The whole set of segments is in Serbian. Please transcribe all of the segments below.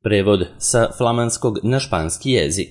Prevod sa flamanskog na španski jezik.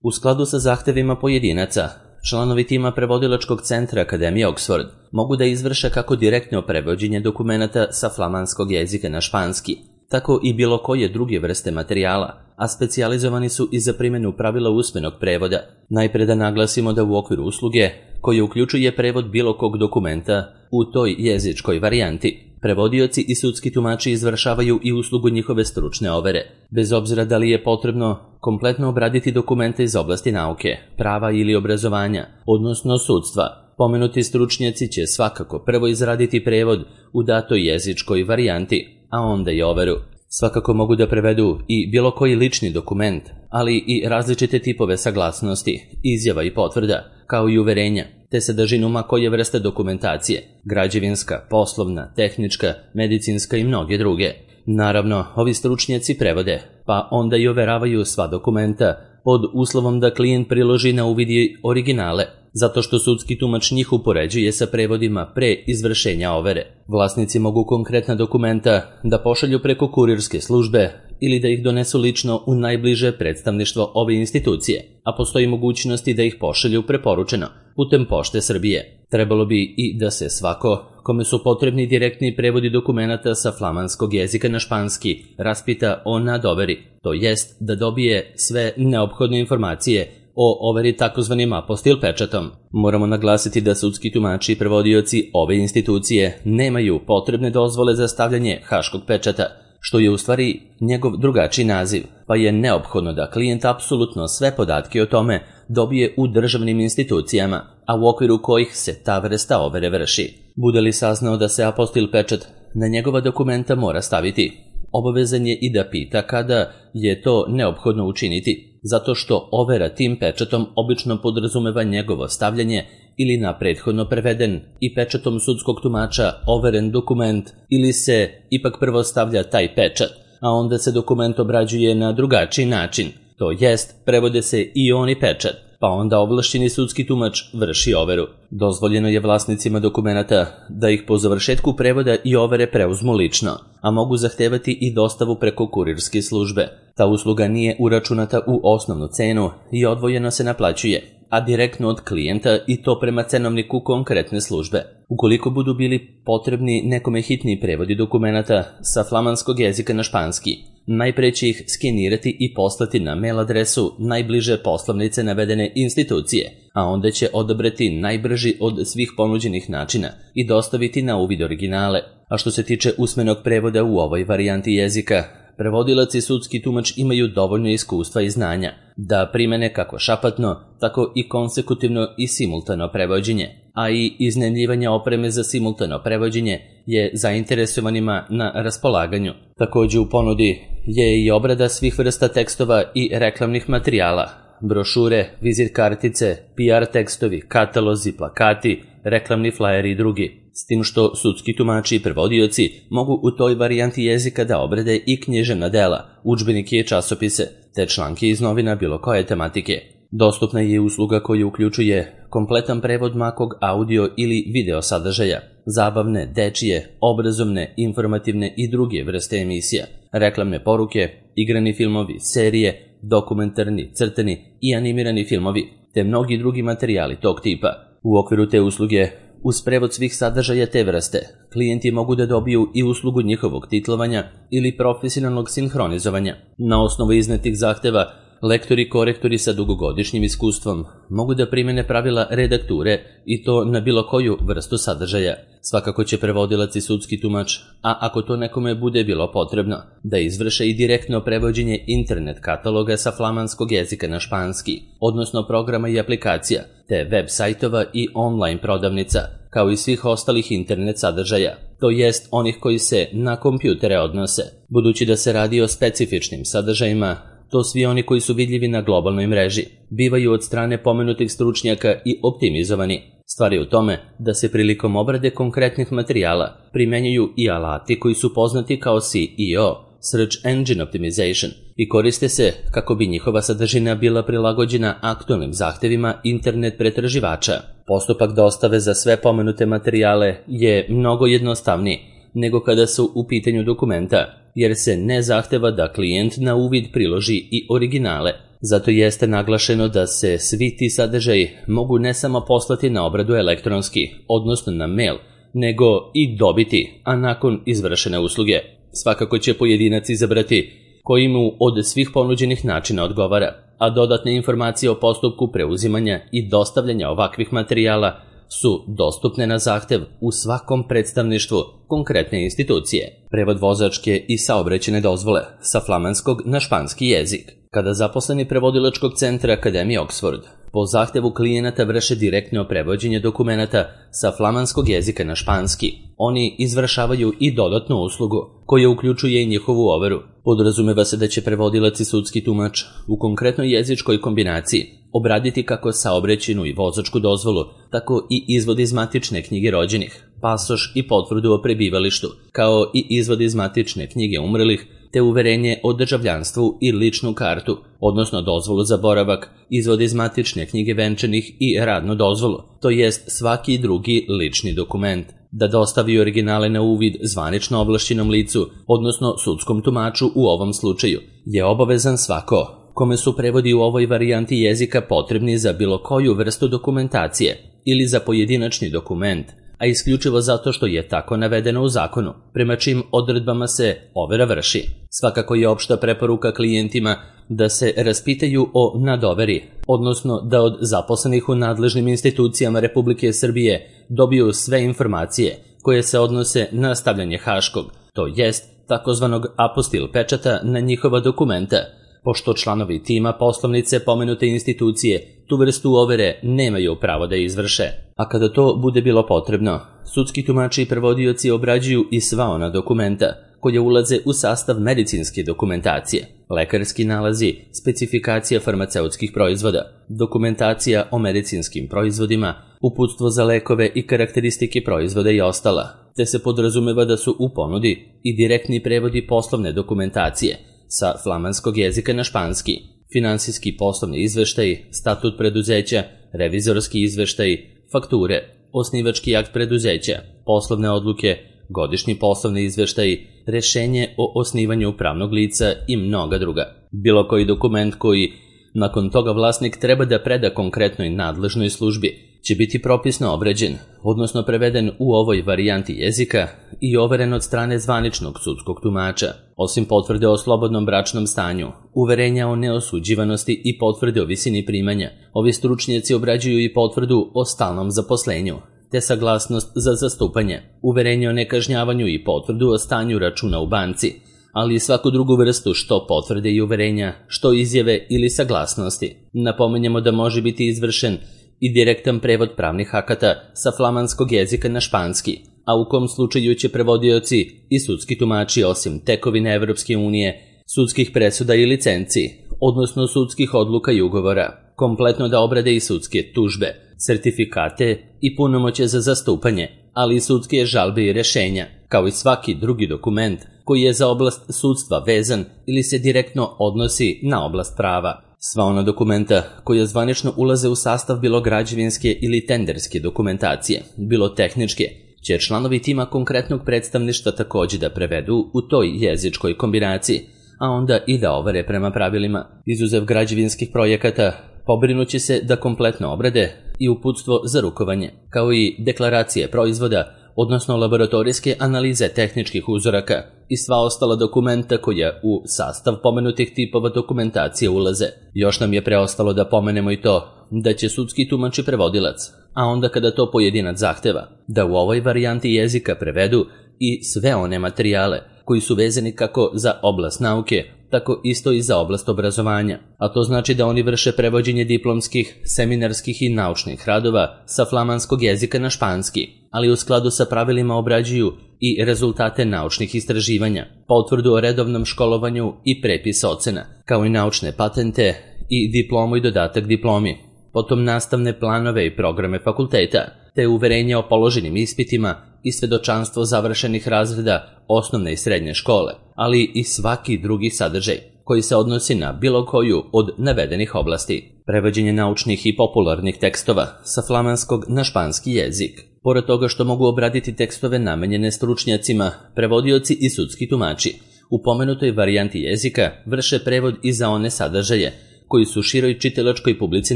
U skladu sa zahtevima pojedinaca, članovi tima prevodilačkog centra Akademije Oxford mogu da izvrše kako direktno prevođenje dokumenata sa flamanskog jezika na španski, tako i bilo koje druge vrste materijala, a specijalizovani su i za primjenu pravila usmenog prevoda. Najpre da naglasimo da u okviru usluge, koja uključuje prevod bilo kog dokumenta u toj jezičkoj varijanti, prevodioci i sudski tumači izvršavaju i uslugu njihove stručne overe, bez obzira da li je potrebno kompletno obraditi dokumente iz oblasti nauke, prava ili obrazovanja, odnosno sudstva. Pomenuti stručnjaci će svakako prvo izraditi prevod u datoj jezičkoj varijanti, a onda i overu. Svakako mogu da prevedu i bilo koji lični dokument, ali i različite tipove saglasnosti, izjava i potvrda, kao i uverenja, te sadržinu ma koje vrste dokumentacije, građevinska, poslovna, tehnička, medicinska i mnoge druge. Naravno, ovi stručnjaci prevode, pa onda i overavaju sva dokumenta, pod uslovom da klijent priloži na uvid originale, zato što sudski tumač njih upoređuje sa prevodima pre izvršenja overe. Vlasnici mogu konkretna dokumenta da pošalju preko kurirske službe ili da ih donesu lično u najbliže predstavništvo ove institucije, a postoji mogućnosti da ih pošalju preporučeno putem Pošte Srbije. Trebalo bi i da se svako, kome su potrebni direktni prevodi dokumenata sa flamanskog jezika na španski, raspita o nadoveri, to jest da dobije sve neophodne informacije o overi takozvanim apostil pečatom. Moramo naglasiti da sudski tumači i prevodioci ove institucije nemaju potrebne dozvole za stavljanje haškog pečata, što je u stvari njegov drugačiji naziv, pa je neophodno da klijent apsolutno sve podatke o tome dobije u državnim institucijama, a u okviru kojih se ta vrsta overe vrši. Bude li saznao da se apostil pečat na njegova dokumenta mora staviti, obavezan je i da pita kada je to neophodno učiniti, zato što overa tim pečatom obično podrazumeva njegovo stavljanje ili na prethodno preveden i pečatom sudskog tumača overen dokument, ili se ipak prvo stavlja taj pečat, a onda se dokument obrađuje na drugačiji način, to jest prevode se i oni pečat, pa onda ovlašćeni sudski tumač vrši overu. Dozvoljeno je vlasnicima dokumenata da ih po završetku prevoda i overe preuzmu lično, a mogu zahtevati i dostavu preko kurirske službe. Ta usluga nije uračunata u osnovnu cenu i odvojeno se naplaćuje, a direktno od klijenta i to prema cenovniku konkretne službe. Ukoliko budu bili potrebni nekome hitni prevodi dokumenata sa flamanskog jezika na španski, najpre će ih skenirati i poslati na mail adresu najbliže poslovnice navedene institucije, a onda će odabrati najbrži od svih ponuđenih načina i dostaviti na uvid originale. A što se tiče usmenog prevoda u ovoj varijanti jezika, prevodilac i sudski tumač imaju dovoljno iskustva i znanja da primene kako šapatno, tako i konsekutivno i simultano prevođenje, a i iznajmljivanje opreme za simultano prevođenje je zainteresovanima na raspolaganju. Također u ponudi je i obrada svih vrsta tekstova i reklamnih materijala, brošure, vizit kartice, PR tekstovi, katalozi, plakati, reklamni flajeri i drugi. S tim što sudski tumači i prevodioci mogu u toj varijanti jezika da obrade i književna dela, udžbenike i časopise, te članke iz novina bilo koje tematike. Dostupna je usluga koja uključuje kompletan prevod makog audio ili video sadržaja, zabavne, dečije, obrazovne, informativne i druge vrste emisija, reklamne poruke, igrani filmovi, serije, dokumentarni, crtani i animirani filmovi, te mnogi drugi materijali tog tipa. U okviru te usluge, uz prevod svih sadržaja te vrste, klijenti mogu da dobiju i uslugu njihovog titlovanja ili profesionalnog sinhronizovanja. Na osnovu iznetih zahteva, lektori i korektori sa dugogodišnjim iskustvom mogu da primene pravila redakture i to na bilo koju vrstu sadržaja. Svakako će prevodilac i sudski tumač, a ako to nekome bude bilo potrebno, da izvrše i direktno prevođenje internet kataloga sa flamanskog jezika na španski, odnosno programa i aplikacija, te web sajtova i online prodavnica, kao i svih ostalih internet sadržaja, to jest onih koji se na kompjutere odnose. Budući da se radi o specifičnim sadržajima, to svi oni koji su vidljivi na globalnoj mreži bivaju od strane pomenutih stručnjaka i optimizovani. Stvar je u tome da se prilikom obrade konkretnih materijala primenjuju i alati koji su poznati kao SEO, Search Engine Optimization, i koriste se kako bi njihova sadržina bila prilagođena aktualnim zahtevima internet pretraživača. Postupak dostave za sve pomenute materijale je mnogo jednostavniji nego kada su u pitanju dokumenta, jer se ne zahteva da klijent na uvid priloži i originale. Zato jeste naglašeno da se svi ti sadržaji mogu ne samo poslati na obradu elektronski, odnosno na mail, nego i dobiti, a nakon izvršene usluge. Svakako će pojedinac izabrati koji mu od svih ponuđenih načina odgovara, a dodatne informacije o postupku preuzimanja i dostavljanja ovakvih materijala su dostupne na zahtev u svakom predstavništvu konkretne institucije. Prevod vozačke i saobraćajne dozvole sa flamanskog na španski jezik. Kada zaposleni prevodilačkog centra Akademije Oxford po zahtevu klijenata vrše direktno prevođenje dokumenata sa flamanskog jezika na španski, oni izvršavaju i dodatnu uslugu, koja uključuje i njihovu overu. Podrazumeva se da će prevodilac i sudski tumač u konkretnoj jezičkoj kombinaciji obraditi kako saobraćajnu i vozačku dozvolu, tako i izvod iz matične knjige rođenih, pasoš i potvrdu o prebivalištu, kao i izvod iz matične knjige umrlih, te uverenje o državljanstvu i ličnu kartu, odnosno dozvolu za boravak, izvod iz matične knjige venčanih i radnu dozvolu, to jest svaki drugi lični dokument. Da dostavi originale na uvid zvanično ovlašćenom licu, odnosno sudskom tumaču u ovom slučaju, je obavezan svako kome su prevodi u ovoj varijanti jezika potrebni za bilo koju vrstu dokumentacije ili za pojedinačni dokument, a isključivo zato što je tako navedeno u zakonu, prema čim odredbama se overa vrši. Svakako je opšta preporuka klijentima da se raspitaju o nadoveri, odnosno da od zaposlenih u nadležnim institucijama Republike Srbije dobiju sve informacije koje se odnose na stavljanje haškog, to jest takozvanog apostil pečata na njihova dokumenta, pošto članovi tima poslovnice pomenute institucije tu vrstu overe nemaju pravo da izvrše. A kada to bude bilo potrebno, sudski tumači i prevodioci obrađuju i sva ona dokumenta koje ulaze u sastav medicinske dokumentacije, lekarski nalazi, specifikacija farmaceutskih proizvoda, dokumentacija o medicinskim proizvodima, uputstvo za lekove i karakteristike proizvoda i ostala, te se podrazumeva da su u ponudi i direktni prevodi poslovne dokumentacije sa flamanskog jezika na španski, finansijski poslovni izveštaj, statut preduzeća, revizorski izveštaj, fakture, osnivački akt preduzeća, poslovne odluke, godišnji poslovni izveštaj, rešenje o osnivanju pravnog lica i mnoga druga. Bilo koji dokument koji nakon toga vlasnik treba da preda konkretnoj nadležnoj službi će biti propisno obrađen, odnosno preveden u ovoj varijanti jezika i overen od strane zvaničnog sudskog tumača. Osim potvrde o slobodnom bračnom stanju, uverenja o neosuđivanosti i potvrde o visini primanja, ovi stručnjaci obrađuju i potvrdu o stalnom zaposlenju, te saglasnost za zastupanje, uverenje o nekažnjavanju i potvrdu o stanju računa u banci, ali i svaku drugu vrstu što potvrde i uverenja, što izjave ili saglasnosti. Napominjemo da može biti izvršen i direktan prevod pravnih akata sa flamanskog jezika na španski, a u kom slučaju će prevodioci i sudski tumači osim tekovine Evropske unije, sudskih presuda i licenci, odnosno sudskih odluka i ugovora, kompletno da obrade i sudske tužbe, sertifikate i punomoćje za zastupanje, ali i sudske žalbe i rešenja, kao i svaki drugi dokument koji je za oblast sudstva vezan ili se direktno odnosi na oblast prava. Sva ona dokumenta koja zvanično ulaze u sastav bilo građevinske ili tenderske dokumentacije, bilo tehničke, će članovi tima konkretnog predstavništva takođe da prevedu u toj jezičkoj kombinaciji, a onda i da overe prema pravilima. Izuzev građevinskih projekata, pobrinuće se da kompletno obrade i uputstvo za rukovanje, kao i deklaracije proizvoda, odnosno laboratorijske analize tehničkih uzoraka i sva ostala dokumenta koja u sastav pomenutih tipova dokumentacije ulaze. Još nam je preostalo da pomenemo i to da će sudski tumač i prevodilac, a onda kada to pojedinac zahteva, da u ovoj varijanti jezika prevedu i sve one materijale koji su vezani kako za oblast nauke, tako isto i za oblast obrazovanja, a to znači da oni vrše prevođenje diplomskih, seminarskih i naučnih radova sa flamanskog jezika na španski, ali u skladu sa pravilima obrađuju i rezultate naučnih istraživanja, potvrdu o redovnom školovanju i prepis ocena, kao i naučne patente i diplomu i dodatak diplomi, potom nastavne planove i programe fakulteta, te uverenje o položenim ispitima i svedočanstvo završenih razreda osnovne i srednje škole, ali i svaki drugi sadržaj koji se odnosi na bilo koju od navedenih oblasti. Prevođenje naučnih i popularnih tekstova sa flamanskog na španski jezik. Pored toga što mogu obraditi tekstove namenjene stručnjacima, prevodioci i sudski tumači u pomenutoj varijanti jezika vrše prevod i za one sadržaje koji su široj čitalačkoj publici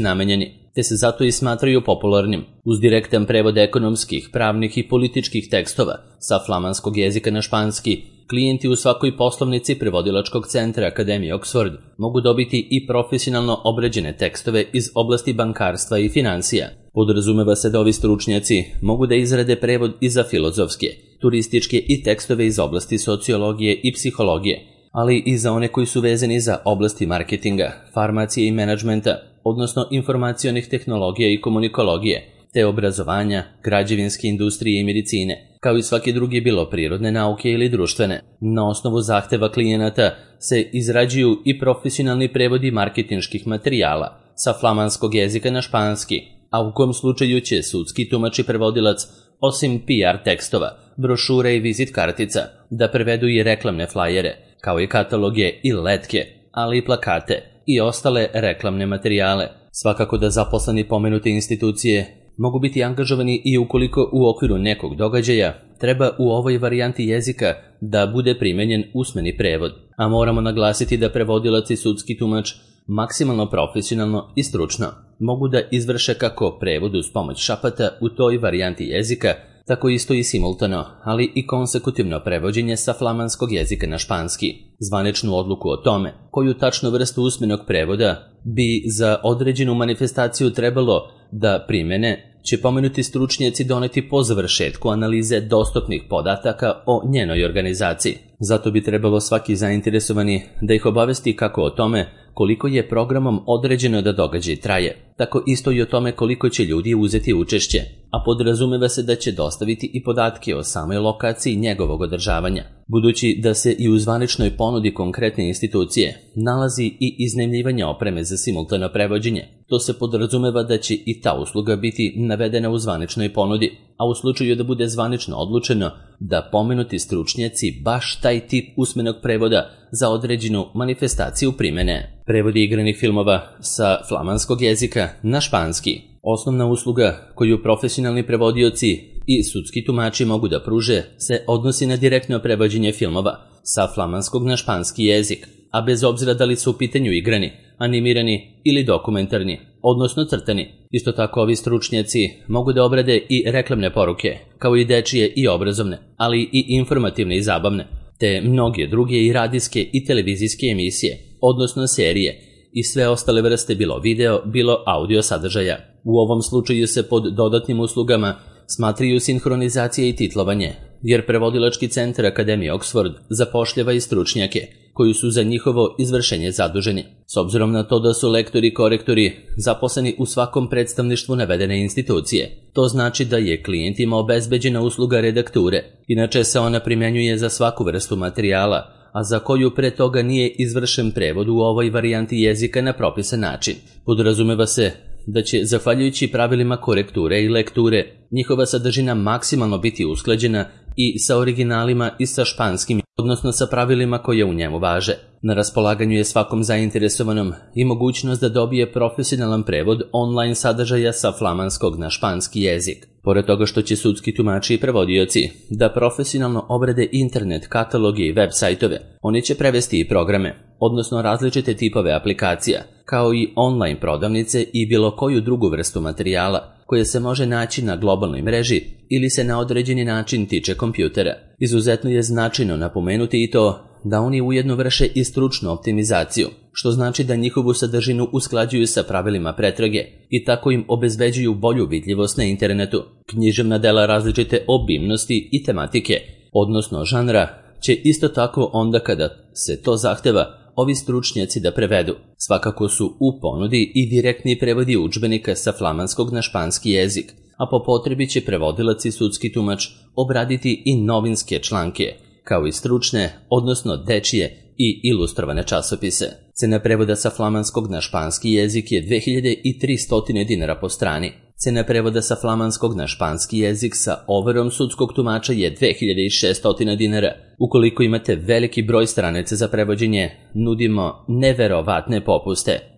namenjeni, te se zato i smatraju popularnim. Uz direktan prevod ekonomskih, pravnih i političkih tekstova sa flamanskog jezika na španski, klijenti u svakoj poslovnici prevodilačkog centra Akademije Oxford mogu dobiti i profesionalno obrađene tekstove iz oblasti bankarstva i financija. Podrazumeva se da ovi stručnjaci mogu da izrade prevod i za filozofske, turističke i tekstove iz oblasti sociologije i psihologije, ali i za one koji su vezani za oblasti marketinga, farmacije i menadžmenta, odnosno informacionih tehnologija i komunikologije, te obrazovanja, građevinske industrije i medicine, kao i svaki drugi bilo prirodne nauke ili društvene. Na osnovu zahteva klijenata se izrađuju i profesionalni prevodi marketinških materijala sa flamanskog jezika na španski, a u kom slučaju će sudski tumač i prevodilac, osim PR tekstova, brošure i vizit kartica, da prevedu i reklamne flajere, kao i kataloge i letke, ali i plakate i ostale reklamne materijale. Svakako da zaposleni pomenute institucije mogu biti angažovani i ukoliko u okviru nekog događaja treba u ovoj varijanti jezika da bude primenjen usmeni prevod, a moramo naglasiti da prevodilac i sudski tumač maksimalno profesionalno i stručno mogu da izvrše kako prevod uz pomoć šapata u toj varijanti jezika, tako isto i simultano, ali i konsekutivno prevođenje sa flamanskog jezika na španski. Zvaničnu odluku o tome koju tačnu vrstu usmenog prevoda bi za određenu manifestaciju trebalo da primene će pomenuti stručnjaci doneti po završetku analize dostupnih podataka o njenoj organizaciji. Zato bi trebalo svaki zainteresovani da ih obavesti kako o tome koliko je programom određeno da događaj traje, tako isto i o tome koliko će ljudi uzeti učešće, a podrazumeva se da će dostaviti i podatke o samoj lokaciji njegovog održavanja. Budući da se i u zvaničnoj ponudi konkretne institucije nalazi i iznajmljivanje opreme za simultano prevođenje, to se podrazumeva da će i ta usluga biti navedena u zvaničnoj ponudi, a u slučaju da bude zvanično odlučeno da pomenuti stručnjaci baš taj tip usmenog prevoda za određenu manifestaciju primene. Prevodi igranih filmova sa flamanskog jezika na španski. Osnovna usluga koju profesionalni prevodioci i sudski tumači mogu da pruže se odnosi na direktno prevođenje filmova sa flamanskog na španski jezik, a bez obzira da li su u pitanju igrani, animirani ili dokumentarni, odnosno crtani. Isto tako ovi stručnjaci mogu da obrade i reklamne poruke, kao i dečije i obrazovne, ali i informativne i zabavne, te mnoge druge i radijske i televizijske emisije, odnosno serije, i sve ostale vrste bilo video, bilo audio sadržaja. U ovom slučaju se pod dodatnim uslugama smatraju sinhronizacija i titlovanje, jer prevodilački centar Akademije Oxford zapošljava i stručnjake koji su za njihovo izvršenje zaduženi. S obzirom na to da su lektori i korektori zaposleni u svakom predstavništvu navedene institucije, to znači da je klijentima obezbeđena usluga redakture. Inače se ona primjenjuje za svaku vrstu materijala, a za koju pre toga nije izvršen prevod u ovoj varijanti jezika na propisan način. Podrazumeva se da će, zahvaljujući pravilima korekture i lekture, njihova sadržina maksimalno biti usklađena i sa originalima i sa španskim, odnosno sa pravilima koje u njemu važe. Na raspolaganju je svakom zainteresovanom i mogućnost da dobije profesionalan prevod online sadržaja sa flamanskog na španski jezik. Pored toga što će sudski tumači i prevodioci da profesionalno obrade internet, kataloge i web sajtove, oni će prevesti i programe, odnosno različite tipove aplikacija, kao i online prodavnice i bilo koju drugu vrstu materijala koje se može naći na globalnoj mreži ili se na određeni način tiče kompjutera. Izuzetno je značajno napomenuti i to da oni ujedno vrše i stručnu optimizaciju, što znači da njihovu sadržinu usklađuju sa pravilima pretrage i tako im obezbeđuju bolju vidljivost na internetu. Književna dela različite obimnosti i tematike, odnosno žanra, će isto tako onda kada se to zahteva ovi stručnjaci da prevedu. Svakako su u ponudi i direktni prevodi udžbenika sa flamanskog na španski jezik, a po potrebi će prevodilac i sudski tumač obraditi i novinske članke, kao i stručne, odnosno dečije i ilustrovane časopise. Cena prevoda sa flamanskog na španski jezik je 2300 dinara po strani. Cena prevoda sa flamanskog na španski jezik sa overom sudskog tumača je 2600 dinara. Ukoliko imate veliki broj stranica za prevođenje, nudimo neverovatne popuste.